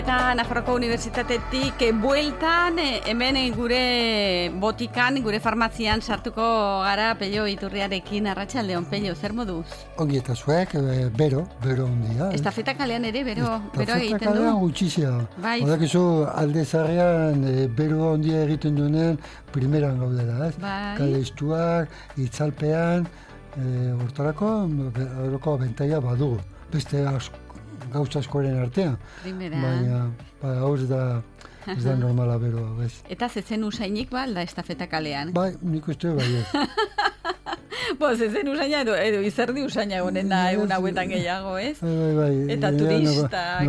eta Nafarroko Unibertsitatetik bueltan, hemen gure botikan, gure farmazian sartuko gara Pello Iturriarekin. Arratsaldeon, Pello, zer moduz? Ongi eta zuek, bero ondia. Estafeta kalean ere, bero egiten du? Estafeta kalean gutxizia. Bai. Odakizu, alde zarrean, bero ondia egiten duenen, primeran gaudela, ez? Bai. Kale istuak, itzalpean, hortarako bentaia badugu. Beste gauza askoren artean. Primeran. Baina, hau ez da normala beroa, bez. Eta zezen usainik ba, alda estafeta kalean? Bai, nik uste bai ez. Zezen usaina edo izerdi usaina egonen da egun hauetan gehiago, ez? Bai. Eta turistak.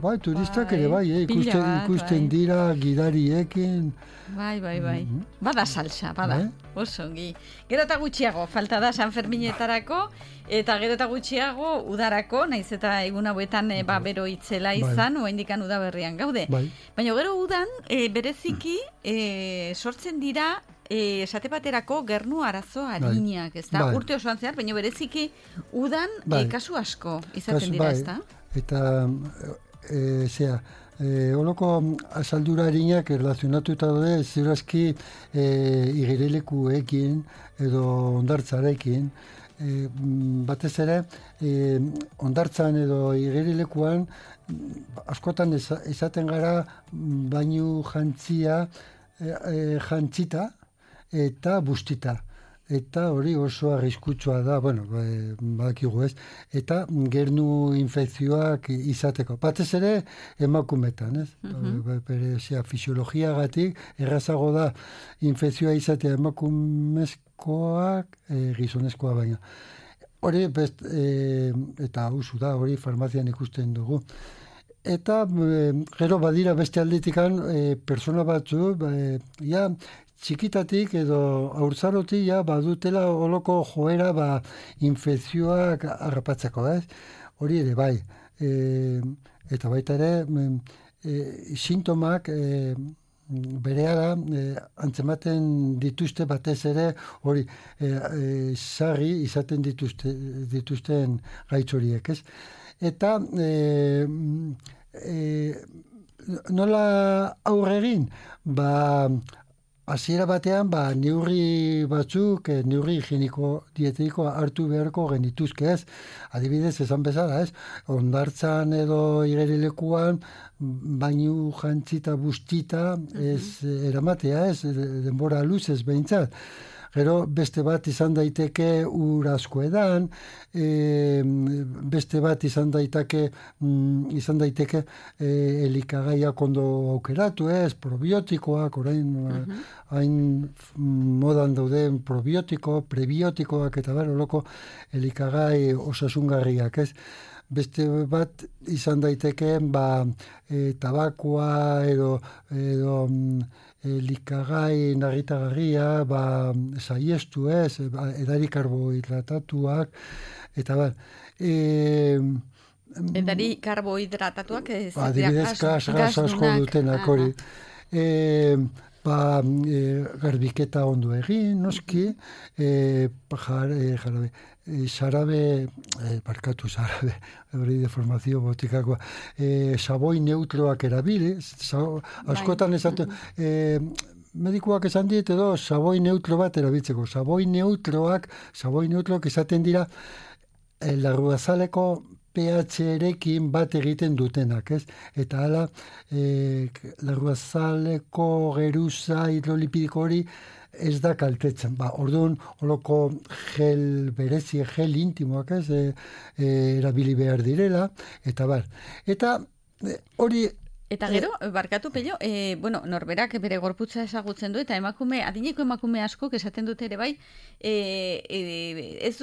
Bai, turistak ere bai, ikusten dira gidariekin. Bai. Bada salsa, bada. Osongi. Gero eta gutxiago, falta da San Ferminetarako, eta gero eta gutxiago udarako, naiz eta egun hauetan bero itzela izan, oraindik udaberrian gaude. Baina gero udan, bereziki sortzen dira esate baterako gernu arazo arinak, ez da? Urte osoan zehar, baina bereziki udan kasu asko izaten dira, ez da? Eta, holoko asaldura harinak erlazionatuta daude ziurazki igerilekuekin edo ondartzarekin. Batez ere, ondartzan edo igerilekuan askotan izaten gara bainu jantzita eta bustita. Eta hori oso arriskutsua da, badakigu ez, eta gernu infekzioak izateko. Batez ere emakumetan, ez? Fisiologiagatik errazago da infekzioa izatea emakumezkoak gizonezkoa baina. Hori, eta usu da, hori farmazian ikusten dugu. Eta gero badira beste aldetikan persona batzu, txikitatik edo haurtzarotik badutela holoko joera infekzioak harrapatzeko, ez? Hori ere bai. Eta baita ere sintomak berehala antzematen dituzte batez ere hori sarri izaten dituzten gaitz horiek, ez? Eta nola aurre egin? Hasiera batean, neurri batzuk, neurri higieniko dietetiko hartu beharko genituzke, ez? Adibidez, esan bezala, ez? Hondartzan edo igerilekuan, bainu jantzita bustita ez eramatea, ez? Denbora luzez behintzat. Gero beste bat izan daiteke ur asko edan, beste bat izan daiteke elikagaiak ondo aukeratu, ez, probiotikoak, orain hain modan dauden probiotiko, prebiotikoak eta holoko elikagai osasungarriak, ez. Beste bat izan daiteke tabakoa edo elikagai narritagarria, saiestu ez, edari karbohidratatuak, eta edari karbohidratatuak ez? Adibidez, gas asko dutenak hori. Garbiketa ondo egin, noski, xarabe, hori deformazio botikakoa, saboi neutroak erabili, askotan esatu, medikuak esan diet edo saboi neutro bat erabiltzeko. Saboi neutroak izaten dira larruazaleko pH-erekin bat egiten dutenak, ez? Eta hala, larruazaleko geruza hidrolipidiko hori ez da kaltetzen. Orduan, holoko gel berezi, gel intimoak, ez? Erabili behar direla, eta hori... Eta gero, barkatu Pello, norberak bere gorputza ezagutzen du, eta adineko emakume askok esaten dute ere bai, ez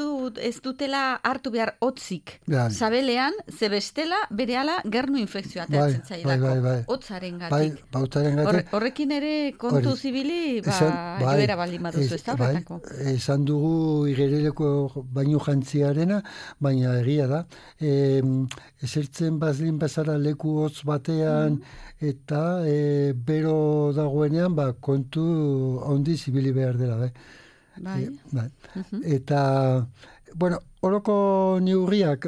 dutela hartu behar hotzik sabelean, ze bestela berehala gernu infekzioa ateatzen zailako. Hotzaren gatik. Horrekin ere kontu zibili, joera baldin baduzu, ez da horretako. Esan dugu igerileko bainu jantziarena, baina egia da. Esertzen bazlin bezala leku hotz batean, eta bero dagoenean kontu handi zibili behar dela. Eta, Oroko neurriak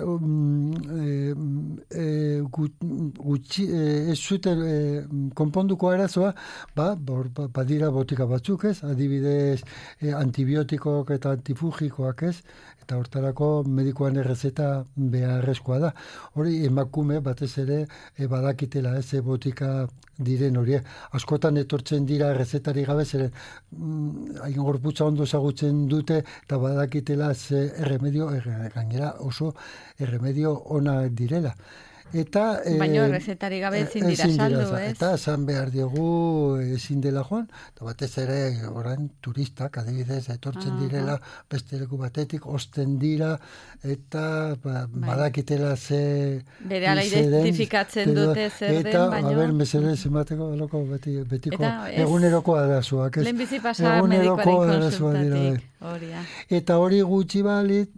ez zuten konponduko arazoa, badira botika batzuk, ez? Adibidez, antibiotikok eta antifugikoak, ez? Eta hortarako medikoan errezeta beharrezkoa da. Hori emakume batez ere badakitela, ez? Botika diren hori. Askotan etortzen dira errezetari gabe, zeren hain gorputza ondo ezagutzen dute eta badakitela ze erremedio, gainera oso erremedio ona direla. Eta, baina errezetari gabe ezin dira saldu, ez? Eta esan behar diogu ezin dela joan, eta batez ere orain turistak, adibidez, etortzen direla beste leku batetik, osten dira, eta badakitela ze... Berehala identifikatzen dute zer den, baina... Eta, mesedez emateko betiko eguneroko arazoak, ez? Lehenbizi pasa medikoaren konsultatik. Eta hori gutxi balit,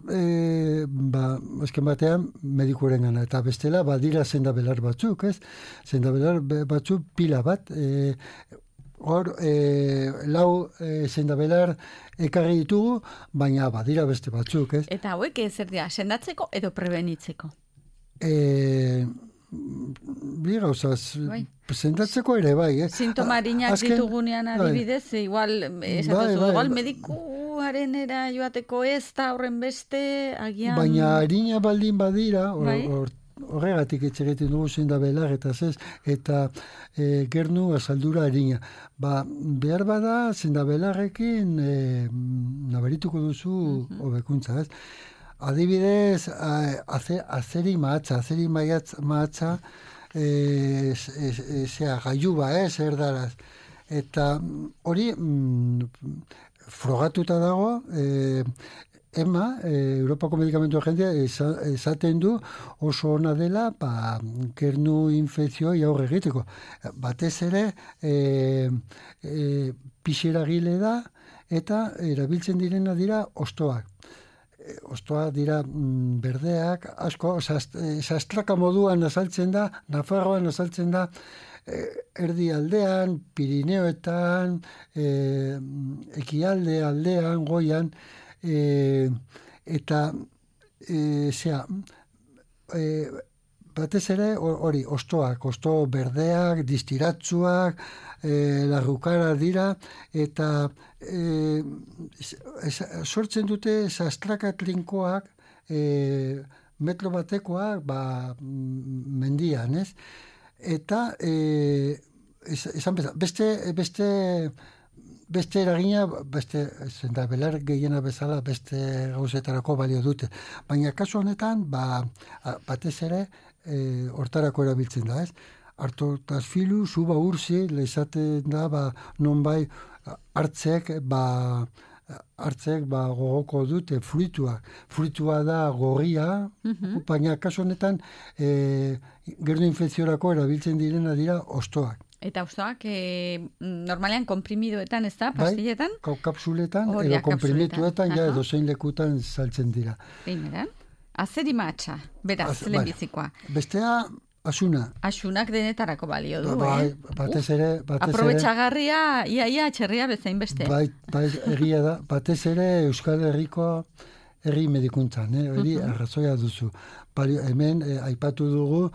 esken batean medikuaren gana, eta bestela, badira sendabelar batzuk, ez? Sendabelar batzuk pila bat, hor, lau sendabelar ekarri ditugu, baina badira beste batzuk, ez? Eta hauek zer dira, sendatzeko edo prebenitzeko? Bi gauzaz, sendatzeko ere bai, eh? Sintomarinak ditugunean adibidez, igual, igual medikuaren era joateko ez da horren beste, agian... Baina harina baldin badira, horregatik etxegiten dugu sendabelar eta ez, eta gernu azaldura harina. Behar bada sendabelarrekin nabarituko duzu hobekuntza, ez? Adibidez, azeri mahatza, gaiuba, erdaraz. Eta hori frogatuta dago, EMA, Europako Medikamentu Agentzia, esaten du oso ona dela gernu infekzioi aurre egiteko. Batez ere, pixeragile da, eta erabiltzen direna dira ostoak. Ostoak dira berdeak, asko, sastraka moduan azaltzen da, Nafarroan azaltzen da, erdi aldean, Pirineoetan, ekialde aldean, goian, eta batez ere hori, osto berdeak, distiratzuak, larrukara dira, eta sortzen dute sastraka trinkoak, metro batekoak, mendian, ez? Eta, esan beste eragina, sendabelar gehiena bezala beste gauzetarako balio dute. Baina kasu honetan, batez ere, hortarako erabiltzen da, ez? Artotasfilu, suba ursi, lehizaten da, nonbai hartzek gogoko dute fruitua. Fruitua da gorria, baina kasu honetan, gernu infekziorako erabiltzen direna dira ostoak. Eta ostoak, normalean komprimidoetan, ez da, pastilletan? Kapsuletan, edo komprimituetan, edo zein lekutan saltzen dira. Primera, azeri matxa, beraz, lehenbizikoa. Bestea, asuna. Asunak denetarako balio du, batez ere... Aprobetxagarria, ia txerria bezain beste. Egia da, batez ere Euskal Herriko herri medikuntzan, hori arrazoia duzu. Hemen, aipatu dugu,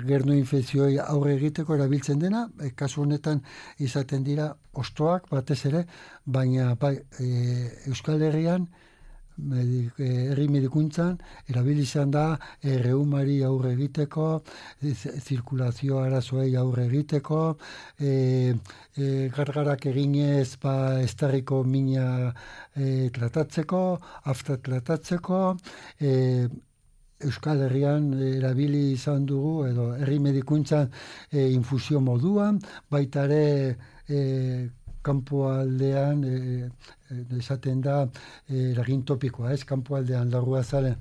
gernu infekzioi aurre egiteko erabiltzen dena, kasu honetan izaten dira ostoak batez ere, baina Euskal Herrian, herri medikuntzan, erabilizan da reumari aurre egiteko, zirkulazio arazoei aurre egiteko, gargarak eginez estarriko mina tratatzeko, afta tratatzeko, Euskal Herrian erabili izan dugu, edo herri medikuntzan infusio moduan, baita ere kanpoaldean esaten da eragin topikoa, ez? Kanpoaldean larrua zaren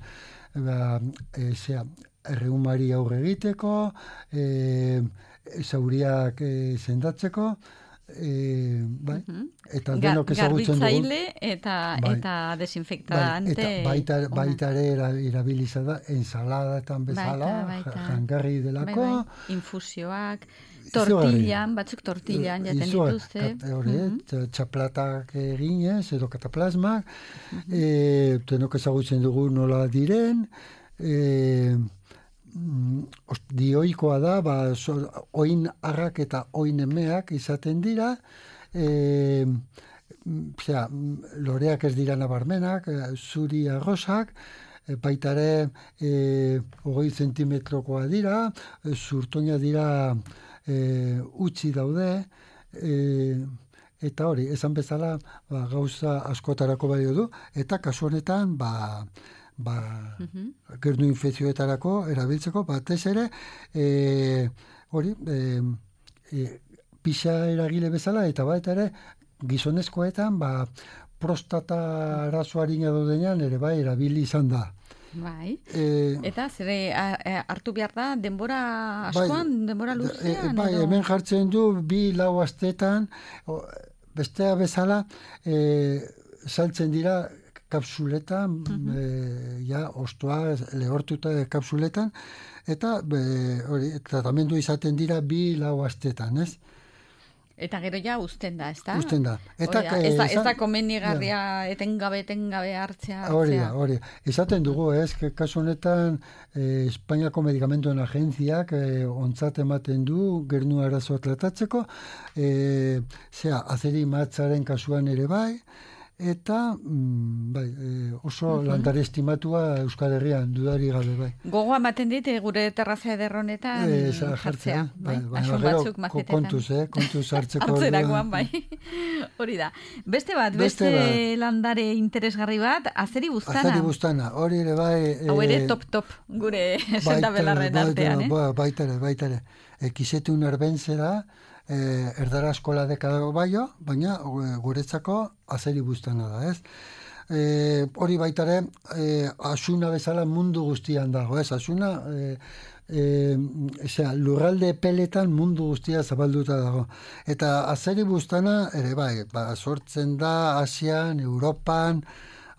erreumari aurre egiteko, zauriak sendatzeko, eta denok ezagutzen dugu. Garbitzaile eta desinfektante. Baita ere irabiliza da, ensaladatan bezala, jangarri delako. Infusioak. tortillan jaten dituzte. Txaplatak eginez, edo kataplasmak, denok ezagutzen dugu nola diren, dioikoa da, oin arrak eta oin emeak izaten dira, loreak ez dira nabarmenak, zuri arrosak, baitare 20 zentimetrokoa dira, zurtoina dira utzi daude, eta hori, esan bezala gauza askotarako balio du, eta kasu honetan gernu infekzioetarako erabiltzeko, batez ere pixa eragile bezala, eta baita ere gizonezkoetan prostata arazoarina daudenean ere bai erabili izan da. Bai. Eta zere hartu behar da denbora askoan, denbora luzean? Bai, hemen jartzen du 2-4 astetan, bestea bezala saltzen dira kapsuletan, ostoa lehortuta kapsuletan, eta tratamendu izaten dira 2-4 astetan, ez? Eta gero ja usten da, ez da? Usten da. Ez da komenigarria etengabe hartzea. Hori. Esaten dugu, ez, kasu honetan Espainiako Medikamentuen Agentziak ontzat ematen du gernu arazoa tratatzeko, azeri matzaren kasuan ere bai, eta oso landare estimatua Euskal Herrian dudari gabe bai. Gogoa ematen dit gure terrazia ederronetan jartzea. Asun batzuk mazetetan. Kontuz hartzeko. Hartzerakoan bai. Hori da. Beste landare interesgarri bat, azeri buztana. Azeri buztana, hori ere bai. Hau ere top gure sendabelarren artean. Baitare. Kisetun erbentzera, erdara eskola dekadago baino, baina guretzako azeri buztana da, ez? Hori baitare, asuna bezala mundu guztian dago, ez? Asuna, lurralde peletan mundu guztia zabalduta dago. Eta azeri buztana, ere bai, sortzen da Asian, Europan,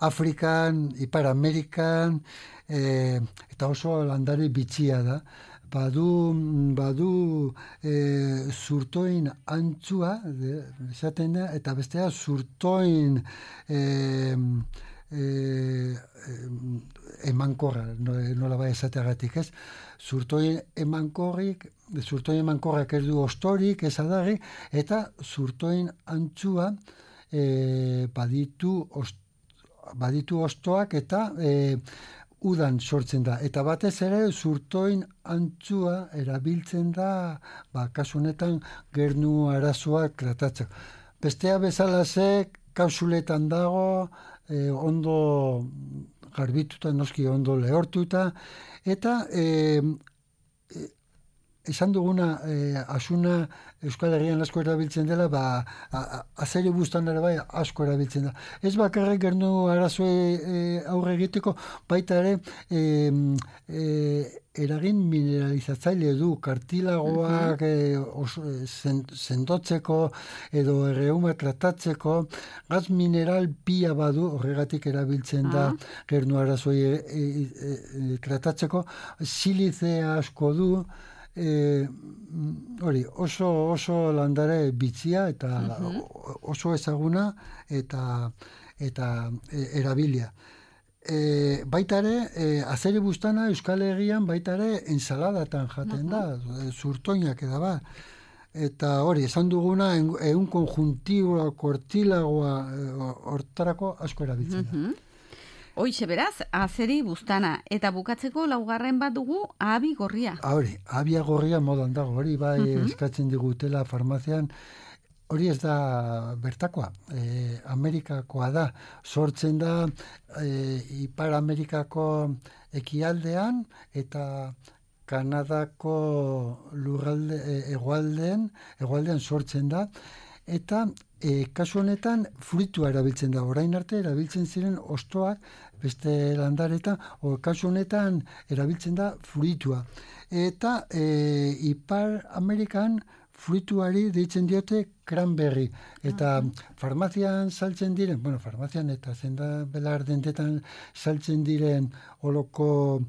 Afrikan, Ipar Amerikan, eta oso landare bitxia da. Badu zurtoin antzua, esaten da, eta bestea zurtoin emankorra, nola bai esateagatik, ez? Zurtoin emankorrak ez du ostorik, ez adarri, eta zurtoin antzua baditu ostoak eta udan sortzen da. Eta batez ere zurtoin antzua erabiltzen da, kasu honetan gernu arazoak tratatzeko. Bestea bezala kapsuletan dago, ondo garbituta, noski ondo lehortuta, eta esan duguna asuna Euskal Herrian asko erabiltzen dela, azeri buztan ere bai asko erabiltzen da. Ez bakarrik gernu arazoe aurre egiteko, baita ere eragin mineralizatzaile du, kartilagoak sendotzeko edo erreuma tratatzeko, gaz mineral pila badu, horregatik erabiltzen da gernu arazoe tratatzeko, silizea asko du, oso landare bitzia eta oso ezaguna eta erabilia. Baita ere, azeri buztana Euskal Herrian baita ere ensaladatan jaten da, zurtoinak eda Eta hori, esan duguna, egun konjuntiboa, kortilagoa, hortarako asko erabiltzen da. Hoize beraz, azeri buztana. Eta bukatzeko laugarren bat dugu, ahabi gorria. Hori, ahabia gorria modan dago, hori bai eskatzen digutela farmazian, hori ez da bertakoa, Amerikakoa da, sortzen da Ipar Amerikako ekialdean eta Kanadako lurralde hegoaldean sortzen da, eta kasu honetan fruitua erabiltzen da. Orain arte erabiltzen ziren ostoak beste landaretan, kasu honetan erabiltzen da fruitua. Eta Ipar Amerikan fruituari deitzen diote cranberry, eta farmazian saltzen diren, farmazian eta zenda belar dentetan saltzen diren oloko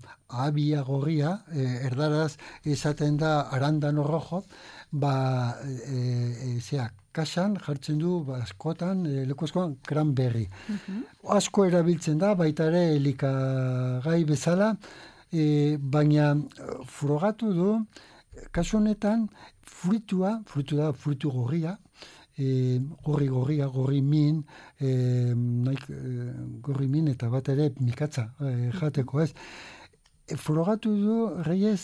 abia gorria, erdaraz esaten da arandano rojo, kasan jartzen du askotan, leku askoan, cranberry. Asko erabiltzen da, baita ere elikagai bezala, baina frogatu du, kasu honetan, frutu gorria, gorri min, gorri min eta bat ere mikatza jateko ez. Frogatu du, reiez,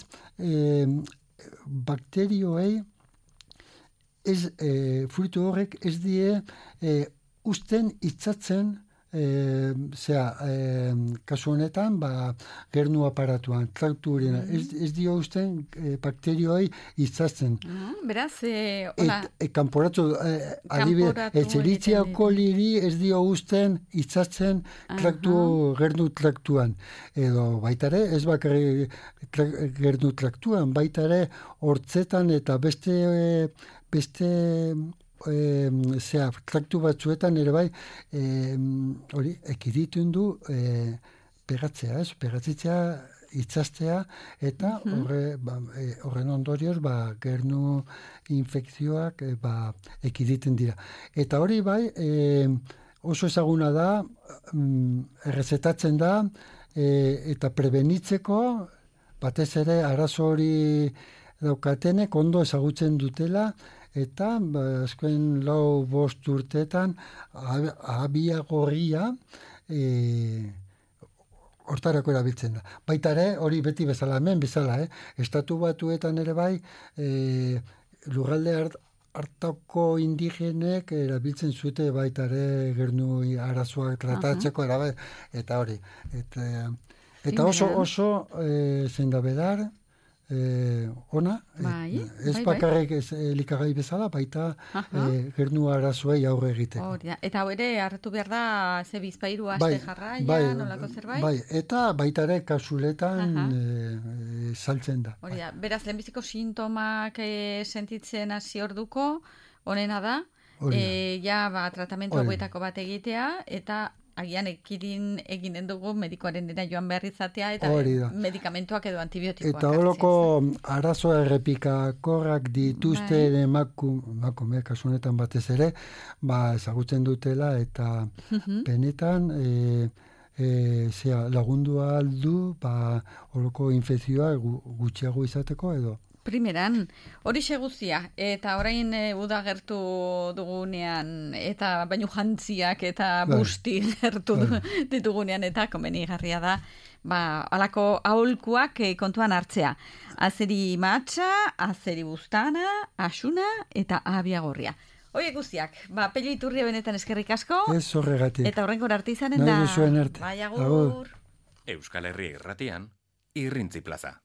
bakterioei, frutu horrek ez die usten itzatzen kasu honetan gernu aparatuan, trakturena, ez dio usten bakterioi itzatzen. Beraz, kanporatu, adibidez, Escherichia coli ez dio usten itzatzen gernu traktuan. Edo baitare, ez bakarrik gernu traktuan, baitare hortzetan eta beste traktu batzuetan ere bai hori ekiditun du pegatzitzea itzastea eta horren ondorioz gernu infekzioak ekiditen dira. Eta hori bai oso ezaguna da, errezetatzen da eta prebenitzeko batez ere arazo hori daukatenek ondo ezagutzen dutela eta azken 4-5 urteetan abia gorria hortarako erabiltzen da. Baita ere, hori beti bezala, hemen bezala, Estatu Batuetan ere bai, lurralde hartako indigenek erabiltzen zute baita ere gernu arazoak tratatzeko eta hori. Eta oso zein da bedar, ona, ez bakarrik elikagai bezala, baita gernu arazoei aurre egiteko. Eta hau ere, hartu behar da, ze bizpairu aste jarraia, nolako zerbait? Bai, eta baita ere kasuletan saltzen da. Beraz, lehenbiziko sintomak sentitzen hasi orduko, honena da, tratamentu hauetako bat egitea, eta agian ekidin eginen dugu medikoaren dena joan behar izatea eta medikamentuak edo antibiotikoak. Eta horoko arazoa errepikakorrak dituzten emakume kasunetan batez ere, ezagutzen dutela eta benetan lagundua aldu horoko infekzioa gutxiago izateko edo. Primeran, hori guztia, eta orain uda gertu dugunean, eta baino jantziak eta busti gertu ditugunean, eta komenigarria da, alako aholkuak kontuan hartzea. Azeri matxa, azeri bustana, asuna eta abia gorria. Horiek guztiak, Pello Iturria benetan eskerrik asko. Ez horregatik. Eta horrenkor arte izanen da. Nahi duzuen arte. Bai, agur. Euskal Herria Irratian, Irrintzi Plaza.